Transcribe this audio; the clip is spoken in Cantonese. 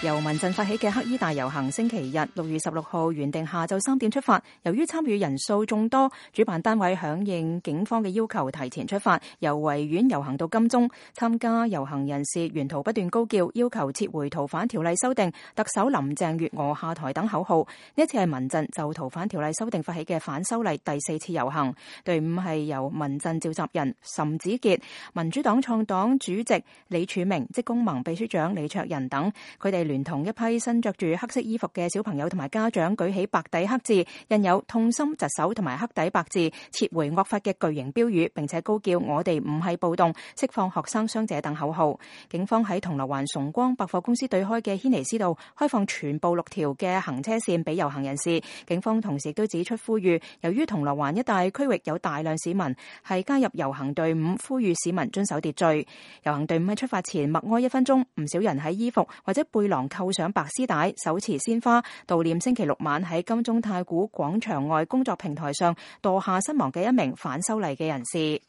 由民陣發起嘅黑衣大遊行，星期日6月16號原定下晝3點出發，由於參與人數眾多，主辦單位響應警方嘅要求提前出發，由維園遊行到金鐘。參加遊行人士沿途不斷高叫，要求撤回逃犯條例修訂、特首林鄭月娥下台等口號。呢一次係民陣就逃犯條例修訂發起嘅反修例第4次遊行，隊伍係由民陣召集人岑子傑、民主黨創黨主席李柱銘、職工盟秘書長李卓人等，佢哋聯同一批身着住黑色衣服嘅小朋友同埋家長，舉起白底黑字印有痛心疾首同埋黑底白字撤回惡法嘅巨型標語，並且高叫我哋唔係暴動、釋放學生傷者等口號。警方喺銅鑼灣崇光百貨公司對開嘅軒尼詩道開放全部6條嘅行車線俾遊行人士。警方同時亦都指出呼籲，由於銅鑼灣一帶區域有大量市民係加入遊行隊伍，呼籲市民遵守秩序。遊行隊伍喺出發前默哀1分鐘，唔少人喺衣服或者背囊扣上白絲帶，手持鮮花悼念星期6晚喺金鐘太古廣場外工作平台上墮下身亡嘅一名反修例嘅人士。